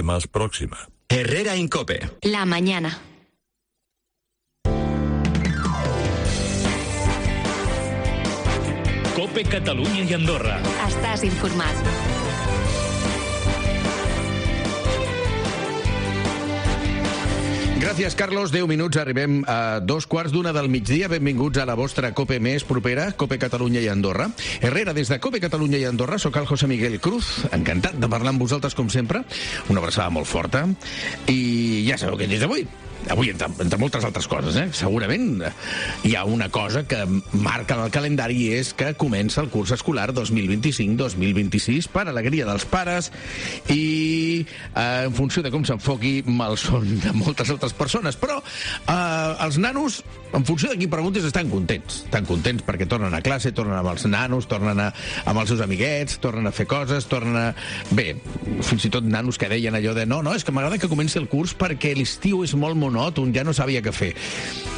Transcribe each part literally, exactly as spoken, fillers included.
más próxima. Herrera Incope. La mañana. Cope Catalunya i Andorra. Estàs informat. Gràcies, Carlos. deu minuts, arribem a dos quarts d'una del migdia. Benvinguts a la vostra Cope més propera, Cope Catalunya i Andorra. Herrera, des de Cope Catalunya i Andorra, sóc el José Miguel Cruz, encantat de parlar amb vosaltres, com sempre. Una abraçada molt forta. I ja sabeu què és avui. Avui, entre, entre moltes altres coses, eh? Segurament hi ha una cosa que marca el calendari, és que comença el curs escolar dos mil vint-i-cinc dos mil vint-i-sis per alegria dels pares i eh, en funció de com s'enfoqui malson de moltes altres persones. Però eh, els nanos, en funció de qui preguntis, estan contents. Estan contents perquè tornen a classe, tornen amb els nanos, tornen a, amb els seus amiguets, tornen a fer coses, tornen a... Bé, fins i tot nanos que deien allò de no, no, és que m'agrada que comenci el curs perquè l'estiu és molt monòton, ja no sabia què fer.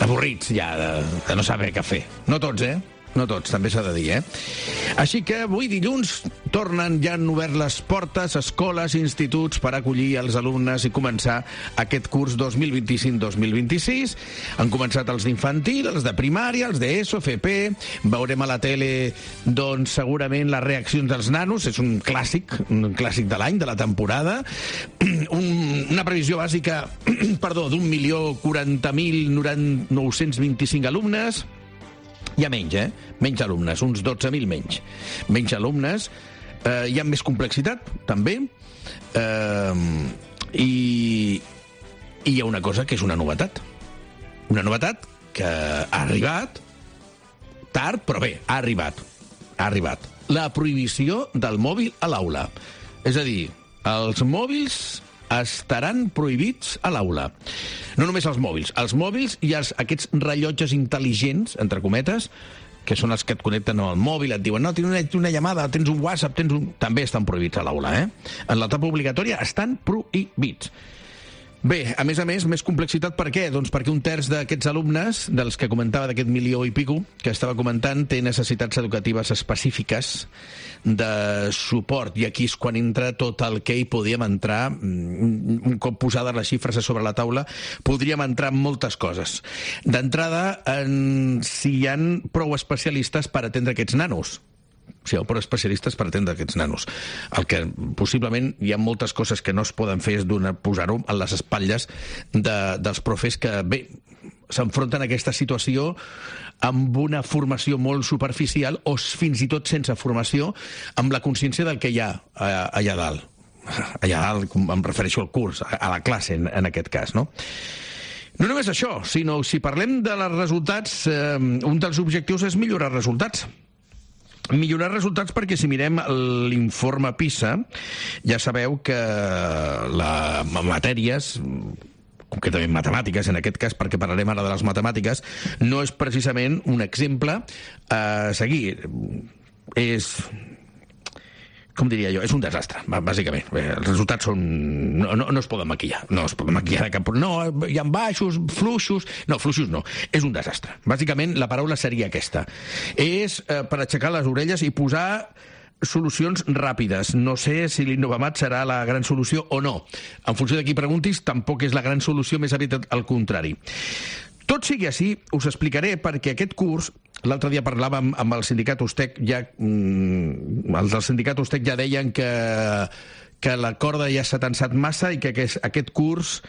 Avorrits ja de, de no saber què fer. No tots, eh? No tots, també s'ha de dir, eh? Així que avui dilluns tornen, ja han obert les portes, escoles, instituts per acollir els alumnes i començar aquest curs dos mil vint-i-cinc dos mil vint-i-sis. Han començat els d'infantil, els de primària, els d'ESO, F P. Veurem a la tele, doncs, segurament les reaccions dels nanos. És un clàssic, un clàssic de l'any, de la temporada. Un, una previsió bàsica, perdó, d'un milió quaranta mil nou-cents vint-i-cinc alumnes. Hi ha menys, eh? Menys alumnes, uns dotze mil menys. Menys alumnes. Eh, hi ha més complexitat, també. Eh, i, I hi ha una cosa que és una novetat. Una novetat que ha arribat tard, però bé, ha arribat. Ha arribat. La prohibició del mòbil a l'aula. És a dir, els mòbils estaran prohibits a l'aula. No només els mòbils. Els mòbils i els, aquests rellotges intel·ligents, entre cometes, que són els que et connecten amb el mòbil, et diuen, no, tens una, una llamada, tens un WhatsApp, tens un... també estan prohibits a l'aula, eh? En l'etapa obligatòria estan prohibits. Bé, a més a més, més complexitat per què? Doncs perquè un terç d'aquests alumnes, dels que comentava d'aquest milió i pico, que estava comentant, té necessitats educatives específiques de suport. I aquí és quan entra tot el que hi podíem entrar, un cop posades les xifres sobre la taula, podríem entrar en moltes coses. D'entrada, en si hi ha prou especialistes per atendre aquests nanos. Si hi ha prou especialistes per atendre aquests nanos. El que possiblement hi ha moltes coses que no es poden fer és posar-ho a les espatlles de, dels profes que, bé, s'enfronten a aquesta situació amb una formació molt superficial o fins i tot sense formació, amb la consciència del que hi ha allà dalt. Allà dalt, em refereixo al curs, a la classe en, en aquest cas, no? No només això, sinó si parlem de els resultats, eh, un dels objectius és millorar resultats. Millorar resultats perquè si mirem l'informe PISA, ja sabeu que les matèries, concretament matemàtiques en aquest cas, perquè parlarem ara de les matemàtiques, no és precisament un exemple a seguir. És... com diria jo, és un desastre, bàsicament. Els resultats són... No, no, no es poden maquillar. No es poden maquillar de cap... No, hi ha baixos, fluixos... No, fluixos no. És un desastre. Bàsicament, la paraula seria aquesta. És eh, per aixecar les orelles i posar solucions ràpides. No sé si l'Innovamat serà la gran solució o no. En funció de qui preguntis, tampoc és la gran solució, més aviat al contrari. Tot sigui així, us explicaré perquè aquest curs, l'altre dia parlàvem amb el sindicat Ustec, ja, mm, els del sindicat Ustec ja deien que, que la corda ja s'ha tensat massa i que aquest, aquest curs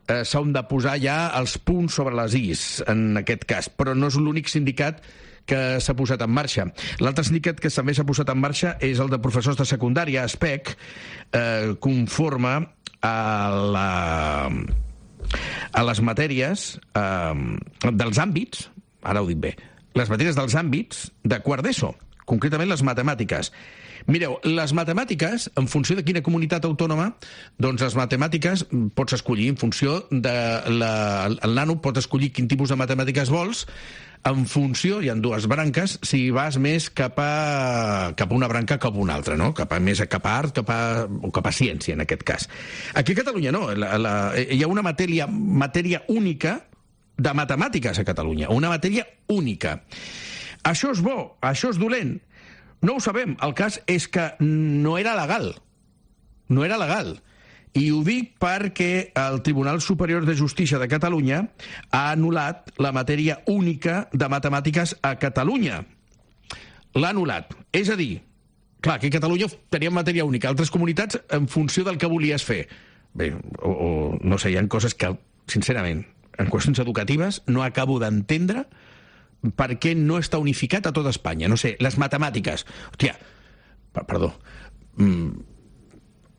eh, s'han de posar ja els punts sobre les is, en aquest cas. Però no és l'únic sindicat que s'ha posat en marxa. L'altre sindicat que també s'ha posat en marxa és el de professors de secundària, ASPEC, eh, conforme a la... a les matèries eh, dels àmbits, ara ho dic bé, les matèries dels àmbits de quart d'ESO, concretament les matemàtiques. Mireu, les matemàtiques, en funció de quina comunitat autònoma, doncs les matemàtiques pots escollir en funció de... La, el nano pot escollir quin tipus de matemàtiques vols, en funció, hi ha dues branques, si vas més cap a, cap a una branca cap a una altra, no? Cap a, més cap a art cap a, o cap a ciència, en aquest cas. Aquí a Catalunya no, la, la, hi ha una matèria, matèria única de matemàtiques a Catalunya, una matèria única. Això és bo, això és dolent. No ho sabem, el cas és que no era legal. No era legal. I ho dic perquè el Tribunal Superior de Justícia de Catalunya ha anul·lat la matèria única de matemàtiques a Catalunya. L'ha anul·lat. És a dir, clar, que a Catalunya teníem matèria única, altres comunitats en funció del que volies fer. Bé, o, o no sé, hi ha coses que, sincerament, en qüestions educatives no acabo d'entendre per què no està unificat a tota Espanya. No sé, les matemàtiques. Hòstia, perdó, mm,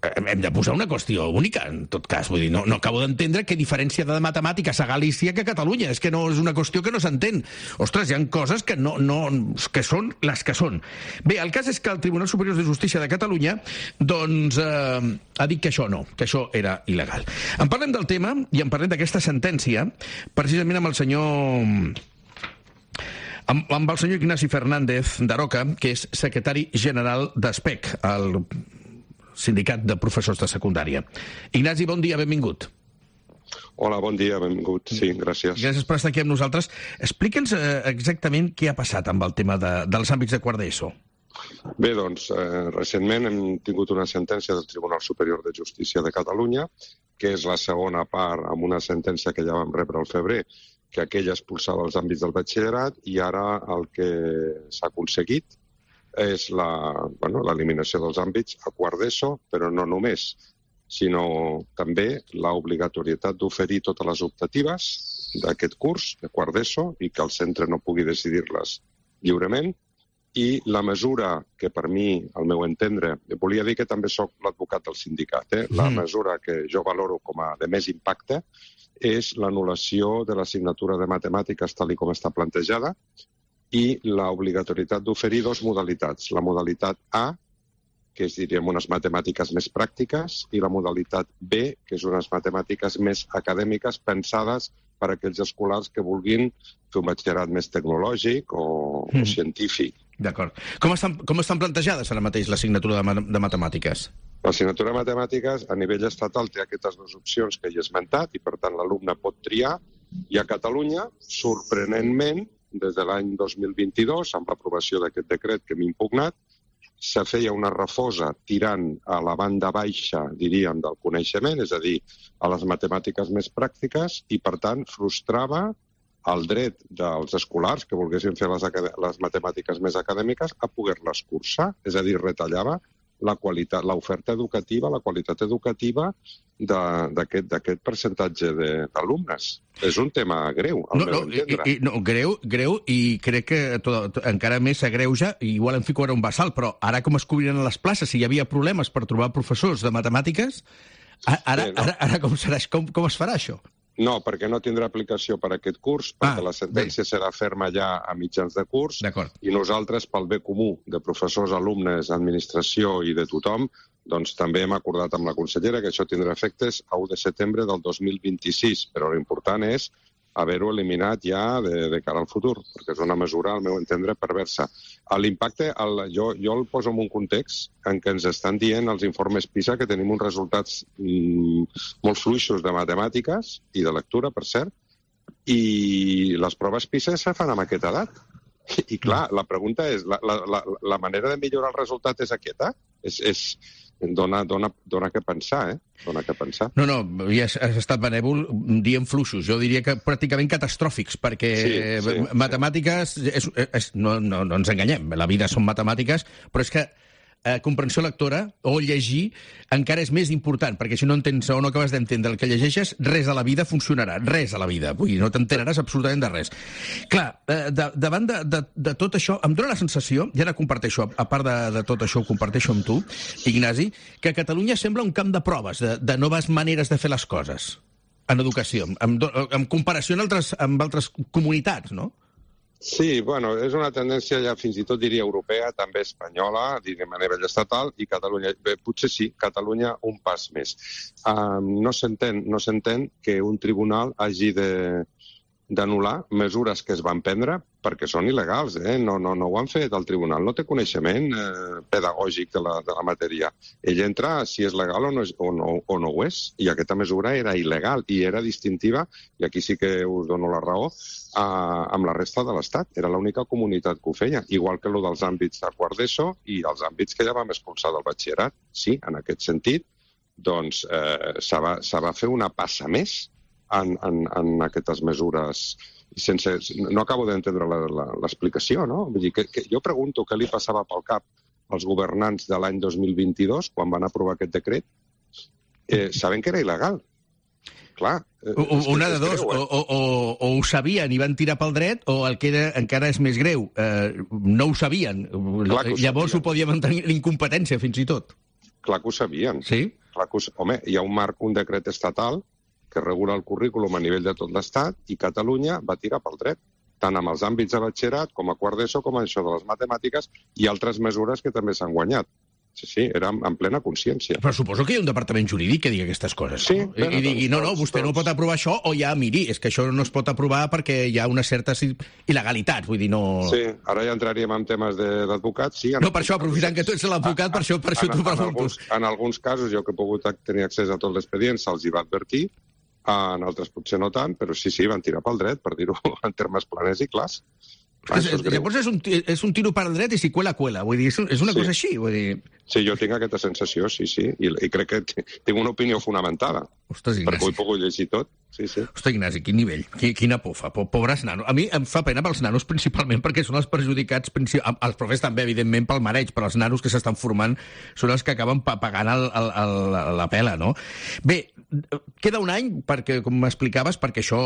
hem de posar una qüestió única, en tot cas. Vull dir, no, no acabo d'entendre què diferència de matemàtiques a Galícia que a Catalunya. És que no és una qüestió que no s'entén. Ostres, hi ha coses que, no, no, que són les que són. Bé, el cas és que el Tribunal Superior de Justícia de Catalunya doncs, eh, ha dit que això no, que això era il·legal. En parlem del tema i en parlem d'aquesta sentència precisament amb el senyor... Amb, amb el senyor Ignasi Fernández d'Aroca, que és secretari general d'ESPEC, el sindicat de professors de secundària. Ignasi, bon dia, benvingut. Hola, bon dia, benvingut. Sí, gràcies. Gràcies per estar aquí amb nosaltres. Explica'ns eh, exactament què ha passat amb el tema de, dels àmbits de quart d'ESO. Bé, doncs, eh, recentment hem tingut una sentència del Tribunal Superior de Justícia de Catalunya, que és la segona part amb una sentència que ja vam rebre al febrer, que aquella expulsava els àmbits del batxillerat, i ara el que s'ha aconseguit és la, bueno, l'eliminació dels àmbits a quart d'ESO, però no només, sinó també l'obligatorietat d'oferir totes les optatives d'aquest curs de quart d'ESO i que el centre no pugui decidir-les lliurement. I la mesura que per mi, al meu entendre, volia dir que també sóc l'advocat del sindicat, eh? La mm. mesura que jo valoro com a de més impacte és l'anul·lació de l'assignatura de matemàtiques tal com està plantejada i l'obligatorietat d'oferir dues modalitats. La modalitat A, que és, diríem, unes matemàtiques més pràctiques, i la modalitat B, que és unes matemàtiques més acadèmiques pensades per a aquells escolars que vulguin fer un batxillerat més tecnològic o, mm. o científic. D'acord. Com estan, com estan plantejades ara mateix l'assignatura de, de matemàtiques? L'assignatura de matemàtiques a nivell estatal té aquestes dues opcions que he esmentat i, per tant, l'alumne pot triar. I a Catalunya, sorprenentment, des de l'any dos mil vint-i-dos, amb l'aprovació d'aquest decret que hem impugnat, se feia una refosa tirant a la banda baixa, diríem, del coneixement, és a dir, a les matemàtiques més pràctiques, i, per tant, frustrava el dret dels escolars que volguessin fer les, les matemàtiques més acadèmiques a poder-les cursar, és a dir, retallava la qualitat, l'oferta educativa, la qualitat educativa d'aquest percentatge d'alumnes. És un tema greu, al no, meu no, entendre. I, i, no, greu, greu, i crec que tot, tot, encara més s'agreuja, i igual em fico ara un vessal, però ara com es cobriran les places, si hi havia problemes per trobar professors de matemàtiques, ara, Bé, no. ara, ara com, serà, com, com es farà això? No, perquè no tindrà aplicació per a aquest curs, perquè ah, la sentència bé. serà ferma ja a mitjans de curs, i nosaltres, pel bé comú de professors, alumnes, administració i de tothom, doncs també hem acordat amb la consellera que això tindrà efectes a u de setembre del dos mil vint-i-sis, però l'important és haver-ho eliminat ja de, de cara al futur, perquè és una mesura, al meu entendre, perversa. L'impacte, el, jo, jo el poso en un context en què ens estan dient els informes PISA que tenim uns resultats mm, molt fluixos de matemàtiques i de lectura, per cert, i les proves PISA se fan amb aquesta edat. I clar, la pregunta és, la, la, la, la manera de millorar el resultat és aquesta? És... és Dona, dona, dona que pensar, eh? Dona que pensar. No, no, ja has, has estat benèvol dient fluixos. Jo diria que pràcticament catastròfics, perquè sí, sí, matemàtiques... Sí. És, és, no, no, no ens enganyem, la vida són matemàtiques, però és que eh, comprensió lectora o llegir encara és més important, perquè si no entens o no acabes d'entendre el que llegeixes, res a la vida funcionarà, res a la vida. Vull dir, no t'enteraràs absolutament de res. Clar, eh, de, davant de, de, de tot això, em dóna la sensació, ja la comparteixo, a part de, de tot això ho comparteixo amb tu, Ignasi, que Catalunya sembla un camp de proves, de, de noves maneres de fer les coses en educació, en, en comparació amb altres, amb altres comunitats, no? Sí, bueno, és una tendència ja fins i tot diria europea, també espanyola, diríem a nivell estatal, i Catalunya, bé, potser sí, Catalunya un pas més. Um, no s'entén, no s'entén que un tribunal hagi de d'anul·lar mesures que es van prendre perquè són il·legals, eh? No, no, no ho han fet el tribunal, no té coneixement eh, pedagògic de la, de la matèria. Ell entra si és legal o no, és, o, no, o no ho és, i aquesta mesura era il·legal i era distintiva, i aquí sí que us dono la raó, a, amb la resta de l'Estat. Era l'única comunitat que ho feia, igual que el dels àmbits de quart d'ESO i els àmbits que ja vam expulsar del batxillerat. Sí, en aquest sentit, doncs eh, se, va, se va fer una passa més en, en, en aquestes mesures. Sense, no acabo d'entendre l'explicació, no? Vull dir, que, que jo pregunto què li passava pel cap als governants de l'any dos mil vint-i-dos, quan van aprovar aquest decret, eh, sabent que era il·legal. Clar. Eh, o, una de dos, greu, eh? o, o, o ho sabien i van tirar pel dret, o el que era, encara és més greu, eh, no ho sabien. Clar ho Llavors sabien. Ho podien mantenir l'incompetència, fins i tot. Clar que ho sabien. Sí? Clar que ho... Home, hi ha un marc, un decret estatal que regula el currículum a nivell de tot l'Estat, i Catalunya va tirar pel dret, tant amb els àmbits de batxillerat com a quart d'ESO, com a això de les matemàtiques i altres mesures que també s'han guanyat. Sí, sí, era en plena consciència. Però suposo que hi ha un departament jurídic que digui aquestes coses. Sí. No? I, I digui, no, no, vostè no pot aprovar això, o ja, miri, és que això no es pot aprovar perquè hi ha una certa il·legalitat, vull dir, no... Sí, ara ja entraríem en temes d'advocats, sí. No, per això, aprofitant que tu ets l'advocat, per això, per això t'ho pregunto. En alguns, en alguns casos, jo que he pogut tenir accés a tot l'expedient, se'ls hi va advertir, en altres potser no tant, però sí, sí, van tirar pel dret, per dir-ho en termes planers i clars. Clar, és, llavors és un, és un tiro per dret i si cuela, cuela. Vull dir, és, és una sí. cosa així. Vull dir... Sí, jo tinc aquesta sensació, sí, sí, i, i crec que tinc una opinió fonamentada. Ostres, Ignasi. Perquè ho he pogut llegir tot. Sí, sí. Ostres, Ignasi, quin nivell, quina por fa, pobres nanos. A mi em fa pena pels nanos principalment perquè són els perjudicats, els profes també, evidentment, pel mareig, però els nanos que s'estan formant són els que acaben pagant el, el, el, la pela, no? Bé, queda un any, perquè, com m'explicaves, perquè això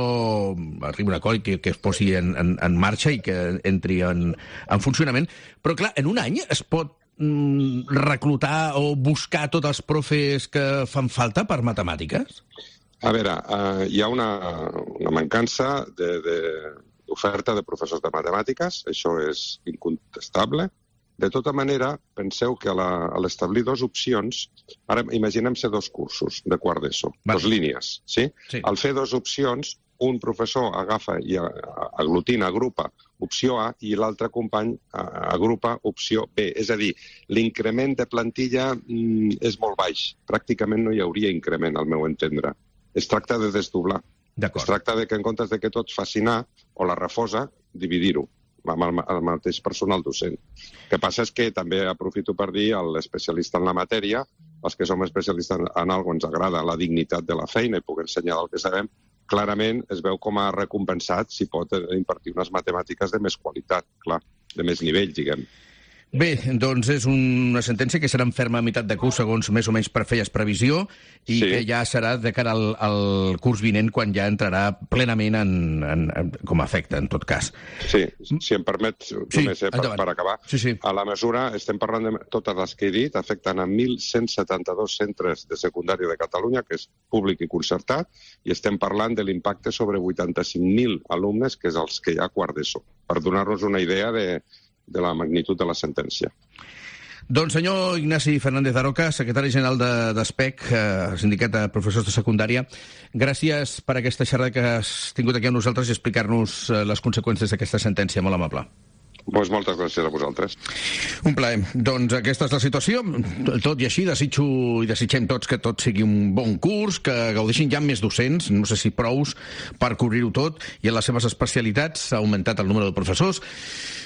arribi a un acord que, que es posi en, en, en marxa i que entri en, en funcionament, però clar, en un any es pot mm, reclutar o buscar tots els profes que fan falta per matemàtiques? A veure, uh, hi ha una, una mancança d'oferta de, de, de professors de matemàtiques, això és incontestable. De tota manera, penseu que a l'establir dues opcions, ara imaginem-se dos cursos de quart d'ESO, dues línies, sí? sí? Al fer dues opcions, un professor agafa i aglutina, agrupa opció A i l'altre company agrupa opció B. És a dir, l'increment de plantilla mm, és molt baix. Pràcticament no hi hauria increment, al meu entendre. Es tracta de desdoblar. Es tracta de que en comptes de que tots facin A o la refosa, dividir-ho amb el, el mateix personal docent. El que passa és que també aprofito per dir a l'especialista en la matèria, els que som especialistes en, en alguna cosa ens agrada la dignitat de la feina i puc ensenyar del que sabem, clarament es veu com a recompensat si pot impartir unes matemàtiques de més qualitat, clar, de més nivell, diguem. Bé, doncs és una sentència que serà en ferma a meitat de curs, segons més o menys feies previsió, i sí. que ja serà de cara al, al curs vinent, quan ja entrarà plenament en, en, en, com a efecte, en tot cas. Sí, si em permet, només sí, eh, per, per acabar. Sí, sí. A la mesura, estem parlant de totes les que he dit, afecten a mil cent setanta-dos centres de secundària de Catalunya, que és públic i concertat, i estem parlant de l'impacte sobre vuitanta-cinc mil alumnes, que és els que hi ha a quart d'ESO, per donar-nos una idea de de la magnitud de la sentència. Doncs senyor Ignasi Fernández Daroca, secretari general de d'ESPEC, eh, Sindicat de Professors de Secundària, gràcies per aquesta xerrada que has tingut aquí amb nosaltres i explicar-nos eh, les conseqüències d'aquesta sentència. Molt amable. Pues moltes gràcies a vosaltres. Un plaer. Doncs aquesta és la situació. Tot i així, desitjo i desitgem tots que tot sigui un bon curs, que gaudeixin ja més docents, no sé si prous, per cobrir-ho tot, i en les seves especialitats s'ha augmentat el número de professors.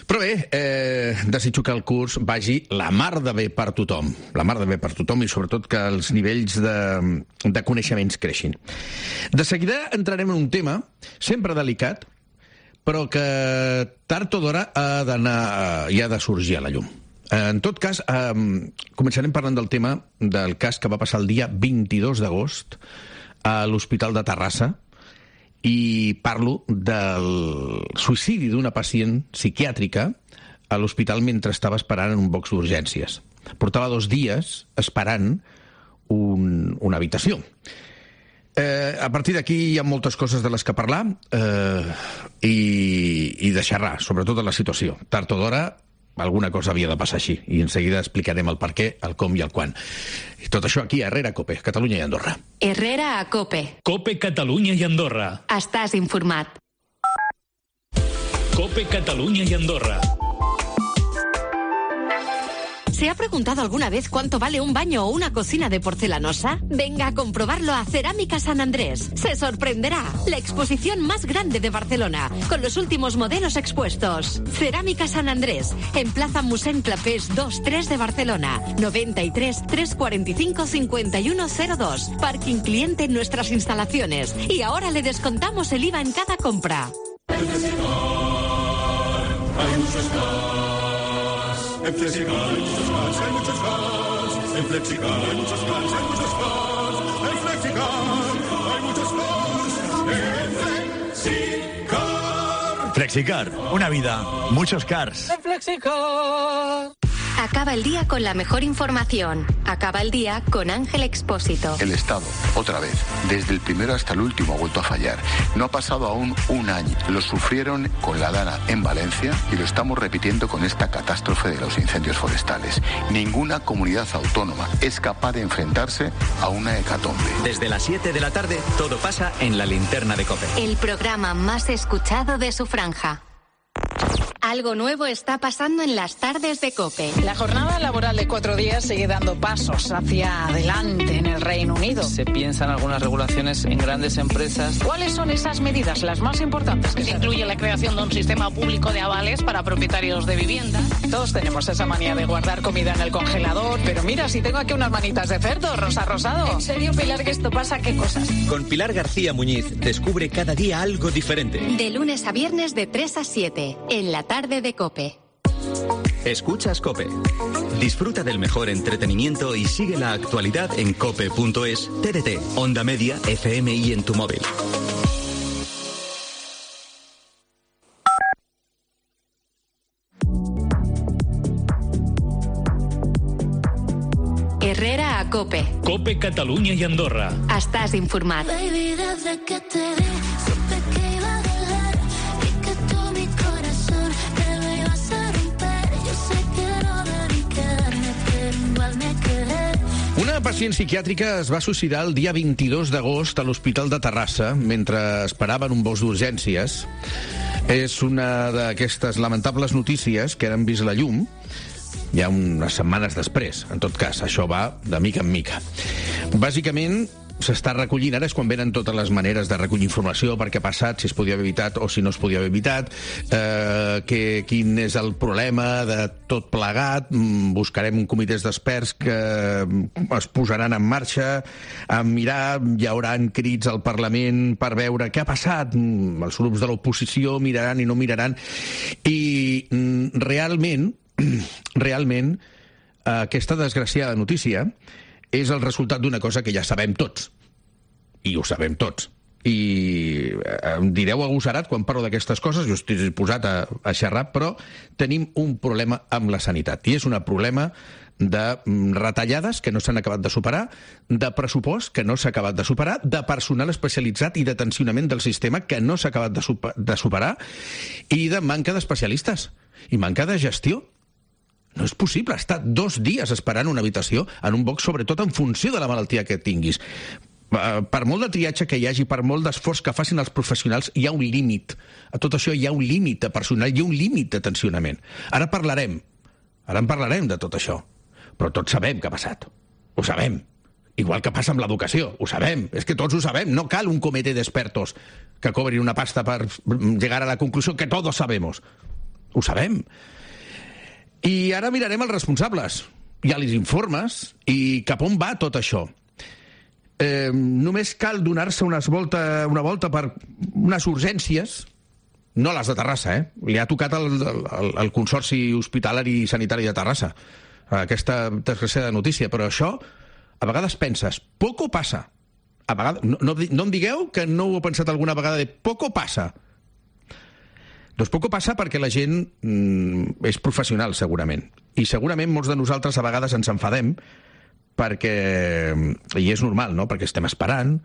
Però bé, eh, desitjo que el curs vagi la mar de bé per tothom. La mar de bé per tothom i sobretot que els nivells de, de coneixements creixin. De seguida entrarem en un tema sempre delicat, però que tard o d'hora ha d'anar i ha de sorgir a la llum. En tot cas, eh, començarem parlant del tema del cas que va passar el dia vint-i-dos d'agost a l'Hospital de Terrassa, i parlo del suïcidi d'una pacient psiquiàtrica a l'hospital mentre estava esperant en un box d'urgències. Portava dos dies esperant un, una habitació. Eh, a partir d'aquí hi ha moltes coses de les que parlar eh, i, i de xerrar, sobretot de la situació. Tard o d'hora alguna cosa havia de passar així, i en seguida explicarem el per què, el com i el quan. I tot això aquí a Herrera, COPE, Catalunya i Andorra. Herrera a COPE. COPE, Catalunya i Andorra. Estàs informat. COPE, Catalunya i Andorra. ¿Se ha preguntado alguna vez cuánto vale un baño o una cocina de porcelanosa? Venga a comprobarlo a Cerámica San Andrés. Se sorprenderá. La exposición más grande de Barcelona, con los últimos modelos expuestos. Cerámica San Andrés, en Plaza Mossèn Clapés dos tres de Barcelona. noventa y tres, trescientos cuarenta y cinco, cincuenta y uno cero dos. Parking cliente en nuestras instalaciones. Y ahora le descontamos el I V A en cada compra. En Flexicar hay muchos cars. En Flexicar hay muchos cars, hay muchos cars. En Flexicar hay muchos cars, hay muchos cars. En Flexicar hay muchos cars. En Flexicar. Flexicar, una vida, muchos cars. En Flexicar. Acaba el día con la mejor información. Acaba el día con Ángel Expósito. El Estado, otra vez, desde el primero hasta el último, ha vuelto a fallar. No ha pasado aún un año. Lo sufrieron con la Dana en Valencia y lo estamos repitiendo con esta catástrofe de los incendios forestales. Ninguna comunidad autónoma es capaz de enfrentarse a una hecatombe. Desde las siete de la tarde, todo pasa en la linterna de COPE. El programa más escuchado de su franja. Algo nuevo está pasando en las tardes de COPE. La jornada laboral de cuatro días sigue dando pasos hacia adelante en el Reino Unido. Se piensan algunas regulaciones en grandes empresas. ¿Cuáles son esas medidas, las más importantes? Que se incluye la creación de un sistema público de avales para propietarios de vivienda. Todos tenemos esa manía de guardar comida en el congelador, pero mira, si tengo aquí unas manitas de cerdo, rosa rosado. ¿En serio, Pilar, que esto pasa? ¿Qué cosas? Con Pilar García Muñiz, descubre cada día algo diferente. De lunes a viernes de tres a siete, en la tarde de COPE. Escuchas COPE. Disfruta del mejor entretenimiento y sigue la actualidad en cope punto es, T D T, Onda Media, F M y en tu móvil. Herrera a COPE. COPE Catalunya i Andorra. Estàs informat. Baby, desde que te vi, supe que iba a doler y que tú mi corazón te lo ibas a romper. Yo sé que no debí quedarme, pero igual me quedé. Una pacient psiquiàtrica es va suïcidar el dia vint-i-dos d'agost a l'Hospital de Terrassa mentre esperaven un bus d'urgències. És una d'aquestes lamentables notícies que han vist la llum ja unes setmanes després. En tot cas, això va de mica en mica. Bàsicament, s'està recollint, ara és quan venen totes les maneres de recollir informació, per què ha passat, si es podia haver evitat o si no es podia haver evitat, eh, que, quin és el problema de tot plegat. Buscarem un comitè d'experts que es posaran en marxa a mirar, hi haurà crits al Parlament per veure què ha passat. Els grups de l'oposició miraran i no miraran. I realment, realment, aquesta desgraciada notícia és el resultat d'una cosa que ja sabem tots. I ho sabem tots. I em direu agosarat quan parlo d'aquestes coses, jo estic disposat a, a xerrar, però tenim un problema amb la sanitat. I és un problema de retallades que no s'han acabat de superar, de pressupost que no s'ha acabat de superar, de personal especialitzat i de tensionament del sistema que no s'ha acabat de, super, de superar, i de manca d'especialistes i manca de gestió. No és possible estar dos dies esperant una habitació en un box, sobretot en funció de la malaltia que tinguis. Per molt de triatge que hi hagi, per molt d'esforç que facin els professionals, hi ha un límit. A tot això hi ha un límit de personal, hi ha un límit de tensionament. Ara parlarem, ara en parlarem de tot això. Però tots sabem què ha passat. Ho sabem. Igual que passa amb l'educació. Ho sabem. És que tots ho sabem. No cal un comitè d'expertos que cobrin una pasta per llegar a la conclusió que todos sabemos. Ho sabem. I ara mirarem els responsables, i els informes, i cap on va tot això. Eh, només cal donar-se unes volta, una volta per unes urgències, no les de Terrassa, eh? Li ha tocat el, el, el Consorci Hospitalari i Sanitari de Terrassa, aquesta desgraciada notícia, però això, a vegades penses, poco passa. A vegades, no, no, no em digueu que no ho heu pensat alguna vegada de poco passa. Doncs poco passa perquè la gent mm, és professional, segurament. I segurament molts de nosaltres a vegades ens enfadem perquè, i és normal, no?, perquè estem esperant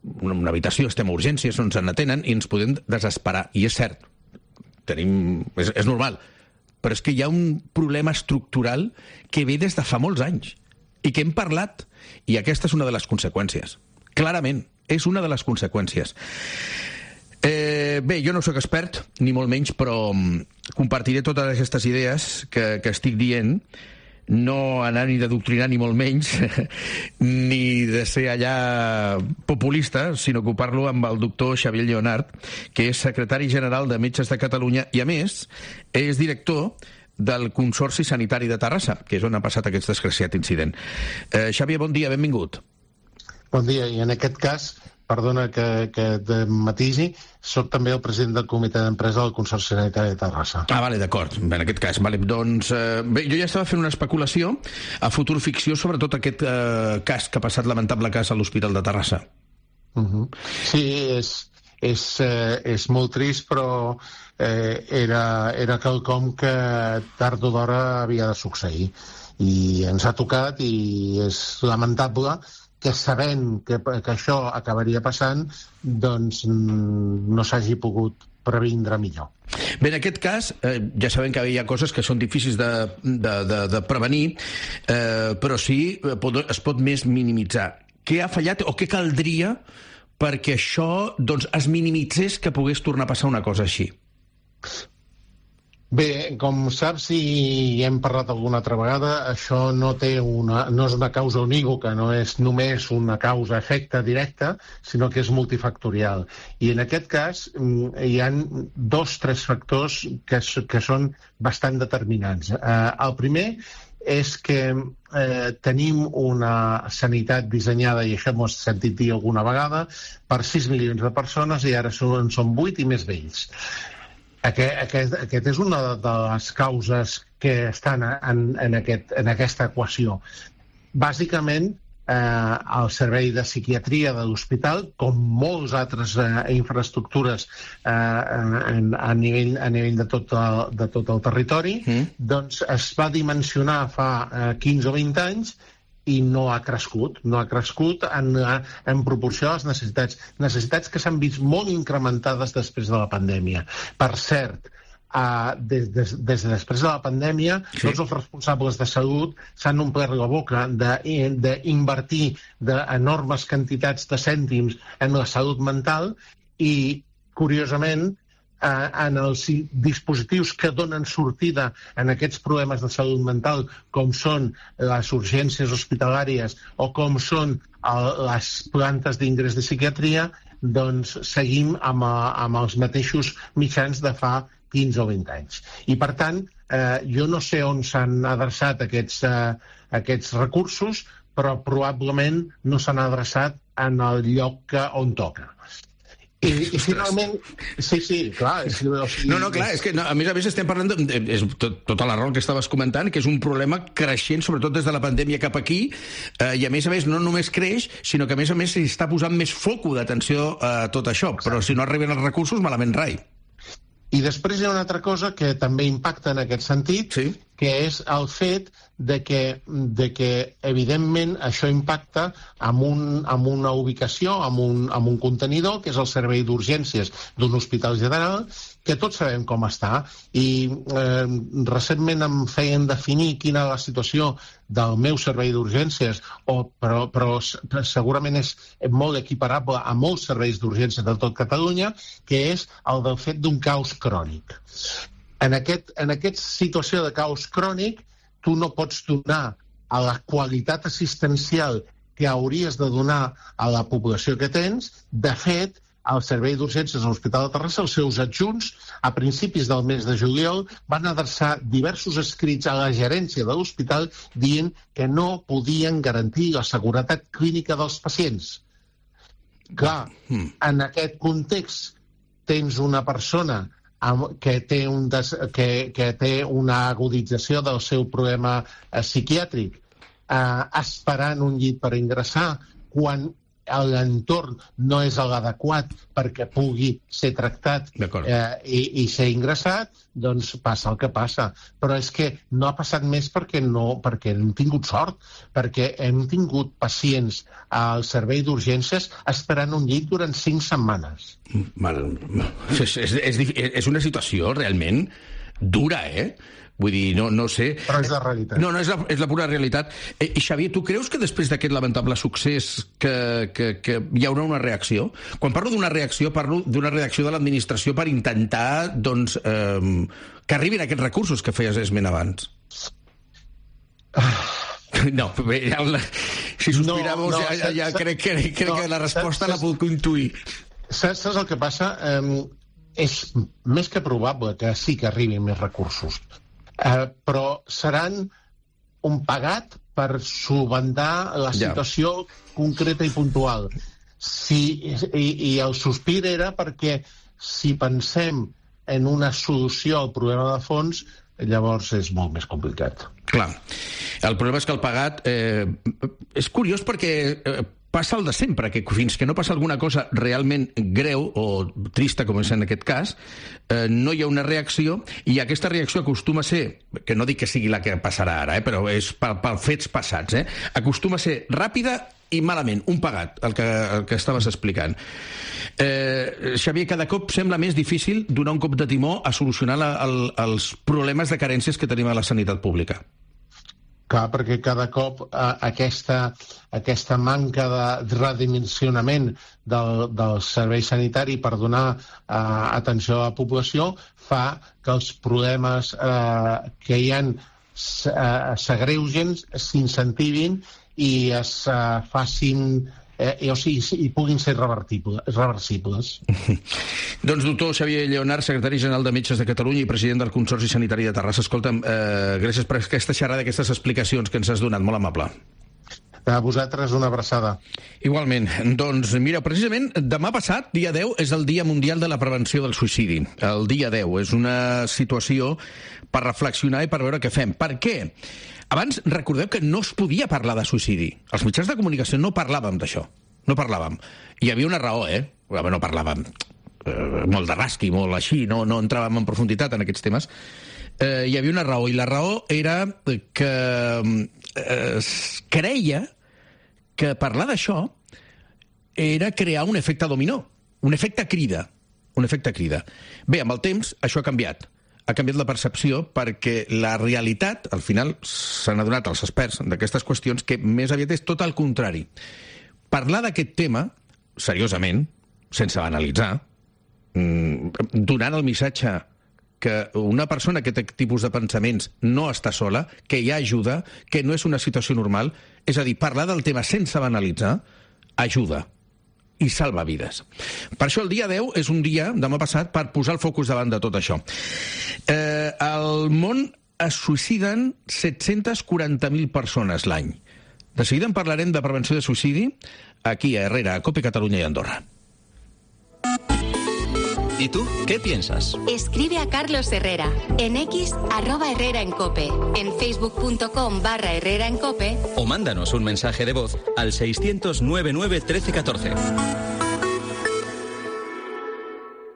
una, una habitació, estem a urgències, no ens en atenen i ens podem desesperar. I és cert, tenim, és, és normal. Però és que hi ha un problema estructural que ve des de fa molts anys i que hem parlat, i aquesta és una de les conseqüències. Clarament, és una de les conseqüències. Eh, bé, jo no sóc expert, ni molt menys, però compartiré totes aquestes idees que, que estic dient no anar ni d'adoctrinar ni molt menys, ni de ser allà populista, sinó ocupar-lo amb el doctor Xavier Lleonart, que és secretari general de Metges de Catalunya i, a més, és director del Consorci Sanitari de Terrassa, que és on ha passat aquest desgraciat incident. Eh, Xavier, bon dia, benvingut. Bon dia, i en aquest cas, perdona que, que et matisi, soc també el president del comitè d'empresa del Consorci Sanitari de Terrassa. Ah, vale, d'acord, en aquest cas. Vale, doncs, eh, bé, jo ja estava fent una especulació a futur ficció sobre tot aquest eh, cas que ha passat, lamentable cas a l'Hospital de Terrassa. Uh-huh. Sí, és, és, eh, és molt trist, però eh, era, era quelcom que tard o d'hora havia de succeir. I ens ha tocat i és lamentable que sabent que, que això acabaria passant, doncs no s'hagi pogut previndre millor. Bé, en aquest cas, eh, ja sabem que hi ha coses que són difícils de, de, de, de prevenir, eh, però sí pot, es pot més minimitzar. Què ha fallat o què caldria perquè això doncs, es minimitzés que pogués tornar a passar una cosa així? Bé, com saps i hem parlat alguna altra vegada, això no té una, no és una causa unívoca, no és només una causa-efecte directa, sinó que és multifactorial. I en aquest cas hi ha dos, tres factors que, que són bastant determinants. Eh, el primer és que eh, tenim una sanitat dissenyada, i això m'ho has sentit dir alguna vegada, per sis milions de persones i ara són, són vuit i més vells. Aquest, aquest, aquest és una de les causes que estan en, en, aquest, en aquesta equació. Bàsicament, eh, el servei de psiquiatria de l'hospital, com molts altres eh, infraestructures eh, en, a, nivell, a nivell de tot el, de tot el territori, mm. doncs es va dimensionar fa eh, quinze o vint anys i no ha crescut, no ha crescut en, en proporció a les necessitats. Necessitats que s'han vist molt incrementades després de la pandèmia. Per cert, uh, des, des, des de després de la pandèmia, sí. tots els responsables de salut s'han omplert la boca d'invertir d'enormes quantitats de cèntims en la salut mental i, curiosament, en els dispositius que donen sortida en aquests problemes de salut mental, com són les urgències hospitalàries o com són el, les plantes d'ingrés de psiquiatria, doncs seguim amb, amb els mateixos mitjans de fa quinze o vint anys. I, per tant, eh, jo no sé on s'han adreçat aquests, eh, aquests recursos, però probablement no s'han adreçat en el lloc que, on toca. I, i finalment, sí, sí, clar. És, o sigui, no, no, clar, és que no, a més a més estem parlant de, és tot, tota la raó que estaves comentant, que és un problema creixent, sobretot des de la pandèmia cap aquí, eh, i a més a més no només creix, sinó que a més a més s'hi està posant més foco d'atenció a tot això, però si no arriben els recursos, malament rai. I després hi ha una altra cosa que també impacta en aquest sentit, sí. que és el fet de que, de que evidentment, això impacta amb, un, amb una ubicació, amb un, amb un contenidor, que és el servei d'urgències d'un hospital general, que tots sabem com està. I eh, recentment em feien definir quina és la situació del meu servei d'urgències, o, però, però segurament és molt equiparable a molts serveis d'urgències de tot Catalunya, que és el del fet d'un caos crònic. En, aquest, en aquesta situació de caos crònic, tu no pots donar a la qualitat assistencial que hauries de donar a la població que tens. De fet, el Servei d'Urgències a l'Hospital de Terrassa, els seus adjunts, a principis del mes de juliol, van adreçar diversos escrits a la gerència de l'hospital dient que no podien garantir la seguretat clínica dels pacients. Clar, en aquest context tens una persona que té, un des, que, que té una agudització del seu problema eh, psiquiàtric, eh, esperant un llit per ingressar, quan l'entorn no és l'adequat perquè pugui ser tractat eh, i, i ser ingressat, doncs passa el que passa. Però és que no ha passat més perquè no, perquè hem tingut sort, perquè hem tingut pacients al servei d'urgències esperant un llit durant cinc setmanes. Mal. És, és, és, és una situació realment dura, eh? Vull dir, no, no sé... Però és la realitat. No, no, és la, és la pura realitat. Eh, I Xavier, tu creus que després d'aquest lamentable succés que, que, que hi haurà una reacció? Quan parlo d'una reacció, parlo d'una reacció de l'administració per intentar, doncs, eh, que arribin aquests recursos que feies esment abans. No, ja, si sospiramos, no, no, ja, ja crec, que, crec no, que la resposta saps, la puc intuir. Saps, saps el que passa? Um, és més que probable que sí que arribin més recursos, uh, però seran un pagat per solventar la situació ja. concreta i puntual. Si, i, I el sospir era perquè si pensem en una solució al problema de fons, llavors és molt més complicat. Clar. El problema és que el pagat... Eh, és curiós perquè eh, passa el de sempre, que fins que no passa alguna cosa realment greu o trista, com és en aquest cas, eh, no hi ha una reacció, i aquesta reacció acostuma a ser, que no dic que sigui la que passarà ara, eh, però és per, per fets passats, eh, acostuma a ser ràpida i malament, un pagat, el que, el que estaves explicant. Eh, Xavier, cada cop sembla més difícil donar un cop de timó a solucionar la, el, els problemes de carències que tenim a la sanitat pública. Clar, perquè cada cop eh, aquesta, aquesta manca de redimensionament del, del servei sanitari per donar eh, atenció a la població fa que els problemes eh, que hi ha eh, s'agreugen, s'incentivin i es uh, facin eh, o sigui, i puguin ser reversibles. Doncs doctor Xavier Lleonart, secretari general de Metges de Catalunya i president del Consorci Sanitari de Terrassa, escolta'm, eh, gràcies per aquesta xerrada, aquestes explicacions que ens has donat, molt amable. A vosaltres una abraçada. Igualment. Doncs mira, precisament demà passat, dia deu, és el Dia Mundial de la Prevenció del Suïcidi. El dia deu és una situació per reflexionar i per veure què fem. Per què? Abans, recordeu que no es podia parlar de suïcidi. Els mitjans de comunicació no parlàvem d'això. No parlàvem. Hi havia una raó, eh? No parlàvem eh, molt de rasqui, molt així, no, no entràvem en profunditat en aquests temes. Eh, hi havia una raó, i la raó era que eh, es creia que parlar d'això era crear un efecte dominó, un efecte crida. Un efecte crida. Bé, amb el temps, això ha canviat. Ha canviat la percepció perquè la realitat, al final, s'han adonat els experts d'aquestes qüestions que més aviat és tot el contrari. Parlar d'aquest tema, seriosament, sense banalitzar, donant el missatge que una persona que té tipus de pensaments no està sola, que hi ha ajuda, que no és una situació normal, és a dir, parlar del tema sense banalitzar, ajuda i salva vides. Per això el dia deu és un dia, demà passat, per posar el focus davant de tot això. Eh, al món es suïciden set-cents quaranta mil persones l'any. De seguida en parlarem de prevenció de suïcidi aquí a Herrera, a COPE Catalunya i Andorra. ¿Y tú qué piensas? Escribe a Carlos Herrera en X arroba Herrera en Cope, en facebook.com barra Herrera en Cope o mándanos un mensaje de voz al seiscientos noventa y nueve trece catorce.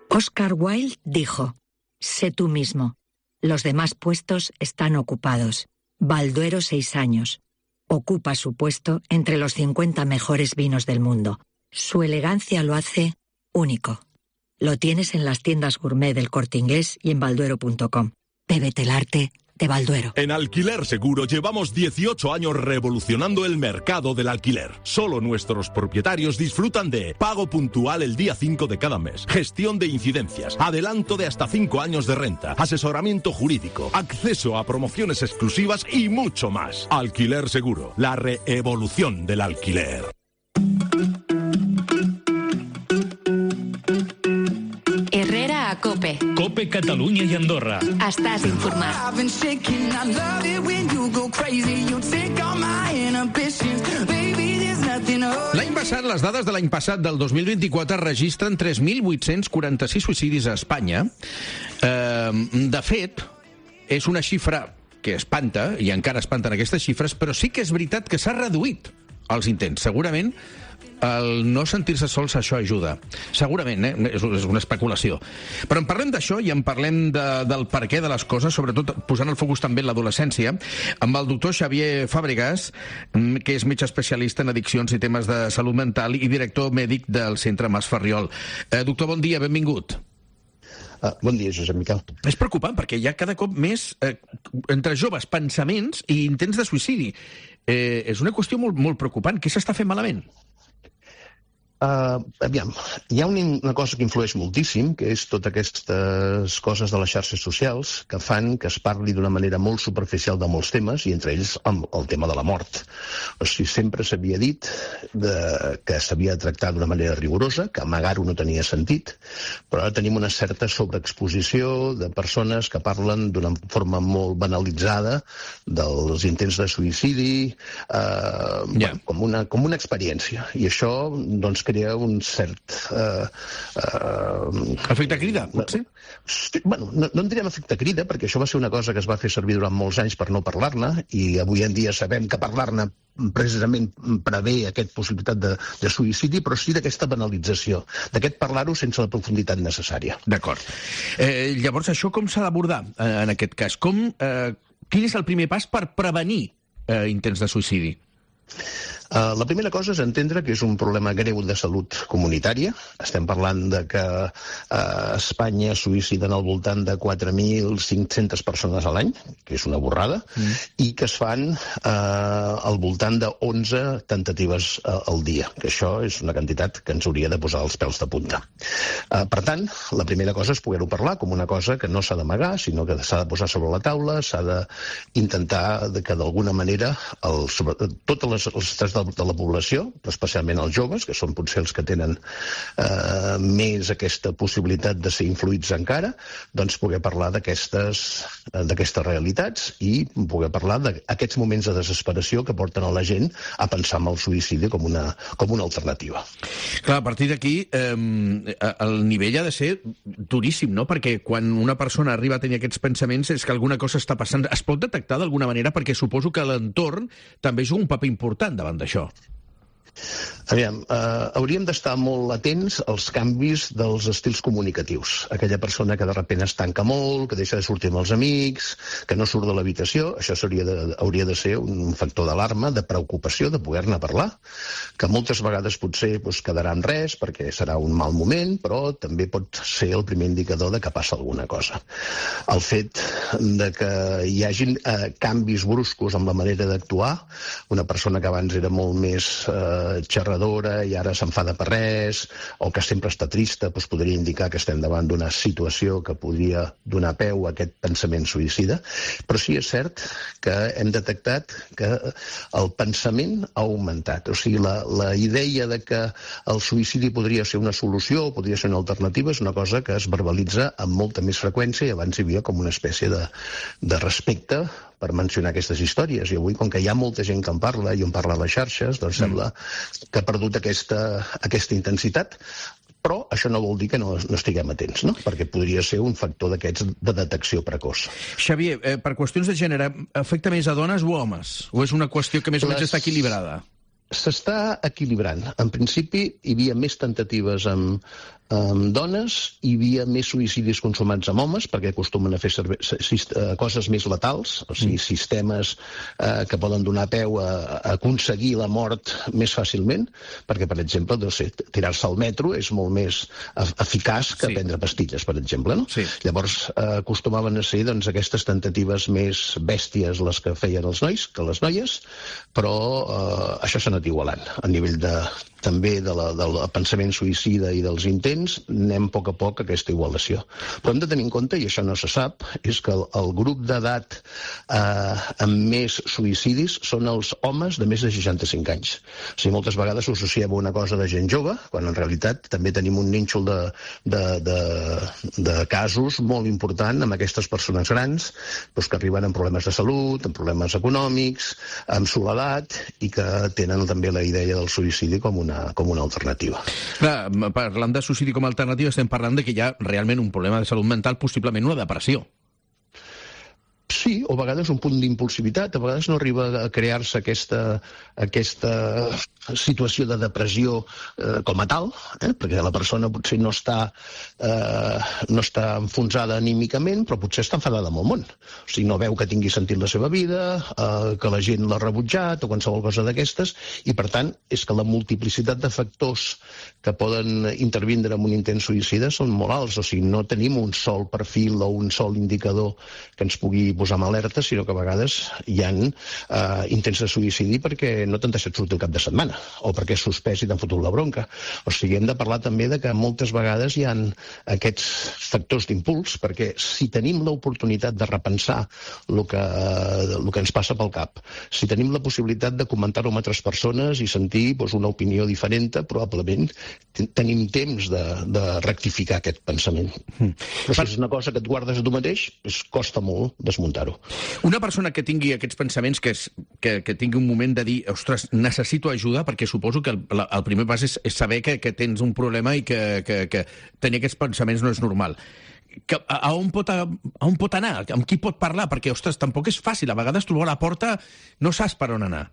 Oscar Wilde dijo: sé tú mismo. Los demás puestos están ocupados. Balduero, seis años. Ocupa su puesto entre los cincuenta mejores vinos del mundo. Su elegancia lo hace único. Lo tienes en las tiendas gourmet del Corte Inglés y en balduero punto com. Bébete el arte de Balduero. En Alquiler Seguro llevamos dieciocho años revolucionando el mercado del alquiler. Solo nuestros propietarios disfrutan de pago puntual el día cinco de cada mes, gestión de incidencias, adelanto de hasta cinco años de renta, asesoramiento jurídico, acceso a promociones exclusivas y mucho más. Alquiler Seguro, la reevolución del alquiler. Herrera a Cope. Cope Catalunya i Andorra. Estàs informat. L'any passat, les dades de l'any passat, del dos mil vint-i-quatre, registren tres mil vuit-cents quaranta-sis suïcidis a Espanya. Eh, de fet, és una xifra que espanta, i encara espanten aquestes xifres, però sí que és veritat que s'ha reduït els intents. Segurament el no sentir-se sols, això ajuda. Segurament, eh? és, és una especulació. Però en parlem d'això i en parlem de, del per què de les coses, sobretot posant el focus també en l'adolescència, amb el doctor Xavier Fàbregas, que és metge especialista en addiccions i temes de salut mental i director mèdic del Centre Mas Ferriol. Eh, doctor, bon dia, benvingut. Uh, bon dia, Josep Miquel. És preocupant perquè hi ha cada cop més, eh, entre joves, pensaments i intents de suïcidi. Eh, és una qüestió molt, molt preocupant. Què s'està fent malament? Uh, aviam, hi ha una, una cosa que influeix moltíssim, que és totes aquestes coses de les xarxes socials que fan que es parli d'una manera molt superficial de molts temes, i entre ells el, el tema de la mort. O sigui, sempre s'havia dit de, que s'havia de tractar d'una manera rigorosa, que amagar-ho no tenia sentit, però ara tenim una certa sobreexposició de persones que parlen d'una forma molt banalitzada dels intents de suïcidi, eh, yeah. com, una, com una experiència. I això, doncs, crea un cert... Eh, eh, efecte crida, potser? Sí, bueno, no, no en direm efecte crida, perquè això va ser una cosa que es va fer servir durant molts anys per no parlar-ne, i avui en dia sabem que parlar-ne precisament prevé aquesta possibilitat de, de suïcidi, però sí d'aquesta banalització, d'aquest parlar-ho sense la profunditat necessària. D'acord. Eh, llavors, això com s'ha d'abordar eh, en aquest cas? Com, eh, quin és el primer pas per prevenir eh, intents de suïcidi? Uh, la primera cosa és entendre que és un problema greu de salut comunitària. Estem parlant de que uh, Espanya suïciden al voltant de quatre mil cinc-centes persones a l'any, que és una borrada, mm. i que es fan uh, al voltant de onze tentatives uh, al dia, que això és una quantitat que ens hauria de posar els pèls de punta. Uh, per tant, la primera cosa és poder-ho parlar com una cosa que no s'ha d'amagar, sinó que s'ha de posar sobre la taula, s'ha d'intentar que d'alguna manera el, sobre, totes les, els estats de, de la població, especialment els joves, que són potser els que tenen eh, més aquesta possibilitat de ser influïts encara, doncs poder parlar d'aquestes d'aquestes realitats i poder parlar d'aquests moments de desesperació que porten a la gent a pensar en el suïcidi com una, com una alternativa. Clar, a partir d'aquí eh, el nivell ha de ser duríssim, no? Perquè quan una persona arriba a tenir aquests pensaments és que alguna cosa està passant. Es pot detectar d'alguna manera? Perquè suposo que l'entorn també juga un paper important davant d'això. Aviam, eh, hauríem d'estar molt atents als canvis dels estils comunicatius. Aquella persona que de sobte es tanca molt, que deixa de sortir amb els amics, que no surt de l'habitació, això seria de, hauria de ser un factor d'alarma, de preocupació, de poder-ne parlar, que moltes vegades potser doncs, quedarà en res perquè serà un mal moment, però també pot ser el primer indicador de que passa alguna cosa. El fet de que hi hagin eh, canvis bruscos amb la manera d'actuar, una persona que abans era molt més eh, xerradora i ara s'enfada per res, o que sempre està trista, doncs podria indicar que estem davant d'una situació que podria donar peu a aquest pensament suïcida. Però sí és cert que hem detectat que el pensament ha augmentat. O sigui, la, la idea de que el suïcidi podria ser una solució o podria ser una alternativa és una cosa que es verbalitza amb molta més freqüència, i abans hi havia com una espècie de, de respecte per mencionar aquestes històries. I avui, com que hi ha molta gent que en parla i en parla a les xarxes, doncs mm. sembla que ha perdut aquesta, aquesta intensitat, però això no vol dir que no, no estiguem atents, no? Perquè podria ser un factor d'aquests de detecció precoç. Xavier, eh, per qüestions de gènere, afecta més a dones o homes? O és una qüestió que més o menys Les... està equilibrada? S'està equilibrant. En principi, hi havia més tentatives amb, amb dones, hi havia més suïcidis consumats amb homes, perquè acostumen a fer serve... coses més letals, o sigui, sistemes eh, que poden donar peu a, a aconseguir la mort més fàcilment, perquè, per exemple, no sé, tirar-se al metro és molt més eficaç que sí. prendre pastilles, per exemple, no? Sí. Llavors, eh, acostumaven a ser doncs, aquestes tentatives més bèsties les que feien els nois que les noies, però eh, això s'ha anat igualant. A nivell de, també de la, del pensament suïcida i dels intents, anem a poc a poc a aquesta igualació. Però hem de tenir en compte, i això no se sap, és que el, el grup d'edat eh, amb més suïcidis són els homes de més de seixanta-cinc anys. O sigui, moltes vegades s'associa a una cosa de gent jove, quan en realitat també tenim un nínxol de, de, de, de casos molt important amb aquestes persones grans, doncs, que arriben amb problemes de salut, amb problemes econòmics, amb soledat, i que tenen també la idea del suïcidi com una, com una alternativa. Clar, parlant de suïcidi com a alternativa, estem parlant de que hi ha realment un problema de salut mental, possiblement una depressió. Sí, o a vegades un punt d'impulsivitat, a vegades no arriba a crear-se aquesta, aquesta situació de depressió eh, com a tal, eh? perquè la persona potser no està, eh, no està enfonsada anímicament, però potser està enfadada amb el món. O sigui, no veu que tingui sentit la seva vida, eh, que la gent l'ha rebutjat o qualsevol cosa d'aquestes, i per tant és que la multiplicitat de factors que poden intervindre en un intent suïcida són molt alts. O sigui, no tenim un sol perfil o un sol indicador que ens pugui posar en alerta, sinó que a vegades hi ha eh, intents de suïcidi perquè no t'han deixat sortir el cap de setmana, o perquè és suspès i t'han fotut la bronca. O sigui, hem de parlar també de que moltes vegades hi ha aquests factors d'impuls, perquè si tenim l'oportunitat de repensar el que, el que ens passa pel cap, si tenim la possibilitat de comentar-ho amb altres persones i sentir doncs, una opinió diferent, probablement tenim temps de, de rectificar aquest pensament. Mm. Però si és una cosa que et guardes a tu mateix, es costa molt desmuntar-ho. Una persona que tingui aquests pensaments, que, és, que, que tingui un moment de dir, ostres, necessito ajuda, perquè suposo que el, el primer pas és, és saber que, que tens un problema i que, que, que tenir aquests pensaments no és normal. Que, a, a, on pot, a, a on pot anar? Amb qui pot parlar? Perquè, ostres, tampoc és fàcil. A vegades trobar la porta no saps per on anar.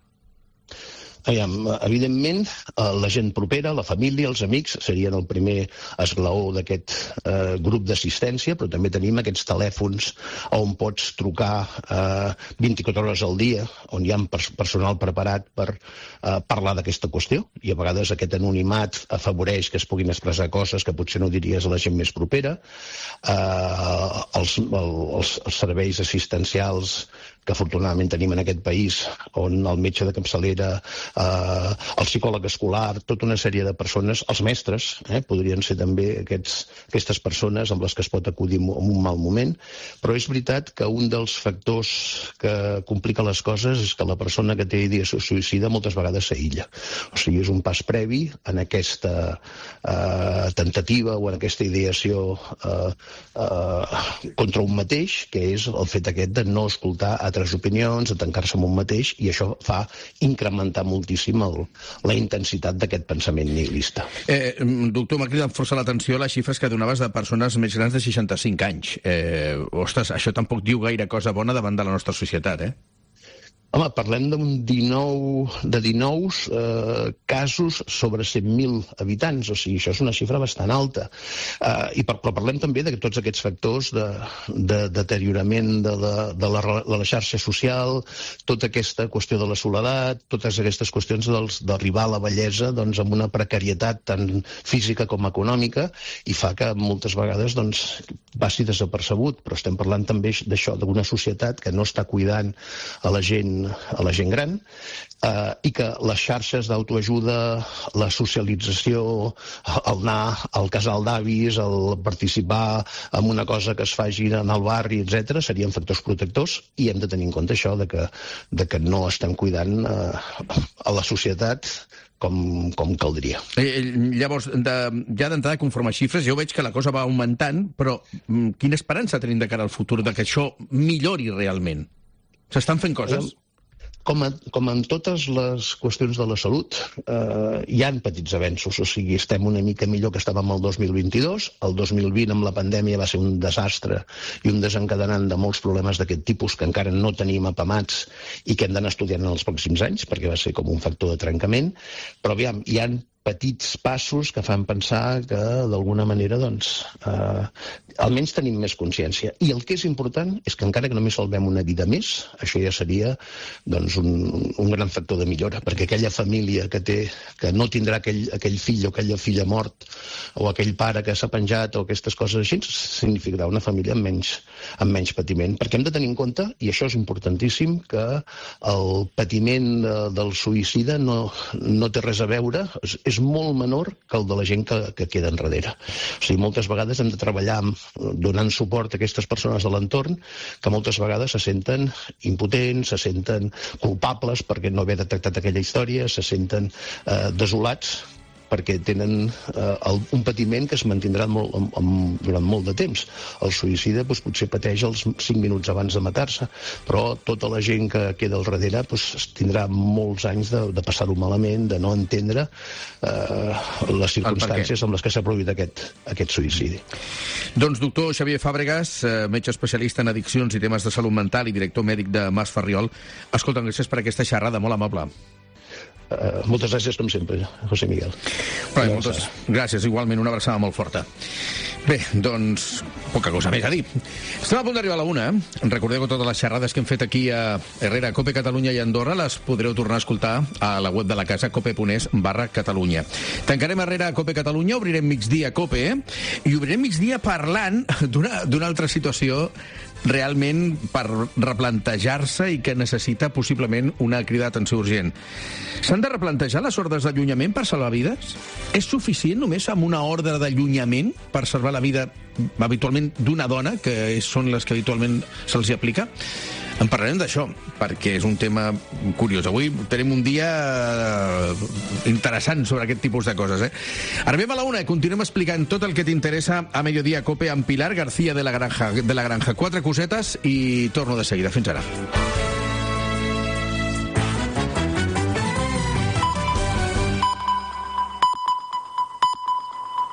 Aviam, evidentment, la gent propera, la família, els amics, serien el primer esglaó d'aquest eh, grup d'assistència, però també tenim aquests telèfons on pots trucar eh, vint-i-quatre hores al dia, on hi ha personal preparat per eh, parlar d'aquesta qüestió, i a vegades aquest anonimat afavoreix que es puguin expressar coses que potser no diries a la gent més propera. Eh, els, els, els serveis assistencials que afortunadament tenim en aquest país, on el metge de capçalera, eh, el psicòleg escolar, tota una sèrie de persones, els mestres, eh, podrien ser també aquests, aquestes persones amb les que es pot acudir en un mal moment, però és veritat que un dels factors que complica les coses és que la persona que té idea suïcida moltes vegades s'aïlla. O sigui, és un pas previ en aquesta eh, tentativa o en aquesta ideació eh, eh, contra un mateix, que és el fet aquest de no escoltar a altres opinions, de tancar-se en un mateix, i això fa incrementar moltíssim el, la intensitat d'aquest pensament nihilista. Eh, doctor, m'ha cridat força l'atenció les xifres que donaves de persones més grans de seixanta-cinc anys. Eh, ostres, això tampoc diu gaire cosa bona davant de la nostra societat, eh? Home, parlem d'un dinou, de dinou eh, casos sobre cent mil habitants, o sigui, això és una xifra bastant alta. Eh, i per, però parlem també de tots aquests factors de, de deteriorament de la, de, la, de la xarxa social, tota aquesta qüestió de la soledat, totes aquestes qüestions d'arribar a la vellesa doncs, amb una precarietat tant física com econòmica, i fa que moltes vegades doncs, passi desapercebut, però estem parlant també d'això, d'una societat que no està cuidant a la gent a la gent gran, eh, i que les xarxes d'autoajuda, la socialització, el anar al casal d'avis, el participar en una cosa que es faci en el barri, etcètera, serien factors protectors, i hem de tenir en compte això de que, de que no estem cuidant eh, a la societat com, com caldria. Eh, llavors, de, ja d'entrada, conforme a xifres, jo veig que la cosa va augmentant, però mm, quina esperança tenim de cara al futur de que això millori realment? S'estan fent coses? Com, a, com en totes les qüestions de la salut, eh, hi han petits avenços, o sigui, estem una mica millor que estàvem el dos mil vint-i-dos, el dos mil vint amb la pandèmia va ser un desastre i un desencadenant de molts problemes d'aquest tipus que encara no tenim apamats i que hem d'anar estudiant en els pròxims anys, perquè va ser com un factor de trencament, però aviam, hi han petits passos que fan pensar que d'alguna manera doncs, eh, almenys tenim més consciència. I el que és important és que encara que només salvem una vida més, això ja seria doncs, un, un gran factor de millora, perquè aquella família que té que no tindrà aquell, aquell fill o aquella filla mort o aquell pare que s'ha penjat o aquestes coses així, significarà una família amb menys, amb menys patiment. Perquè hem de tenir en compte, i això és importantíssim, que el patiment de, del suïcida no, no té res a veure, és, és molt menor que el de la gent que, que queda enrere. O sigui, moltes vegades hem de treballar donant suport a aquestes persones de l'entorn que moltes vegades se senten impotents, se senten culpables perquè no haver detectat aquella història, se senten eh, desolats perquè tenen eh, el, un patiment que es mantindrà molt, amb, amb, durant molt de temps. El suïcida doncs, potser pateix els cinc minuts abans de matar-se, però tota la gent que queda al darrere doncs, tindrà molts anys de, de passar-ho malament, de no entendre eh, les circumstàncies amb les que s'ha produït aquest, aquest suïcidi. Doncs doctor Xavier Fàbregas, metge especialista en addiccions i temes de salut mental i director mèdic de Mas Ferriol, escolta, gràcies per aquesta xerrada, molt amable. Uh, moltes gràcies, com sempre, José Miguel. Bé, moltes gràcies, igualment, una abraçada molt forta. Bé, doncs, poca cosa més a dir. Estem a punt d'arribar a la una. Recordeu que totes les xerrades que hem fet aquí a Herrera, Cope Catalunya i Andorra les podreu tornar a escoltar a la web de la casa, cope.es barra Catalunya. Tancarem Herrera a Cope Catalunya, obrirem migdia a Cope, eh? I obrirem migdia parlant d'una d'una altra situació realment per replantejar-se i que necessita possiblement una crida d'atenció urgent. S'han de replantejar les ordres d'allunyament per salvar vides? És suficient només amb una ordre d'allunyament per salvar la vida habitualment d'una dona, que són les que habitualment se'ls aplica? En parlarem d'això, perquè és un tema curiós. Avui tenim un dia interessant sobre aquest tipus de coses. Eh? Arribem a la una i continuem explicant tot el que t'interessa a Mediodía Cope amb Pilar García de la Granja. De la Granja. Quatre cosetes i torno de seguida. Fins ara.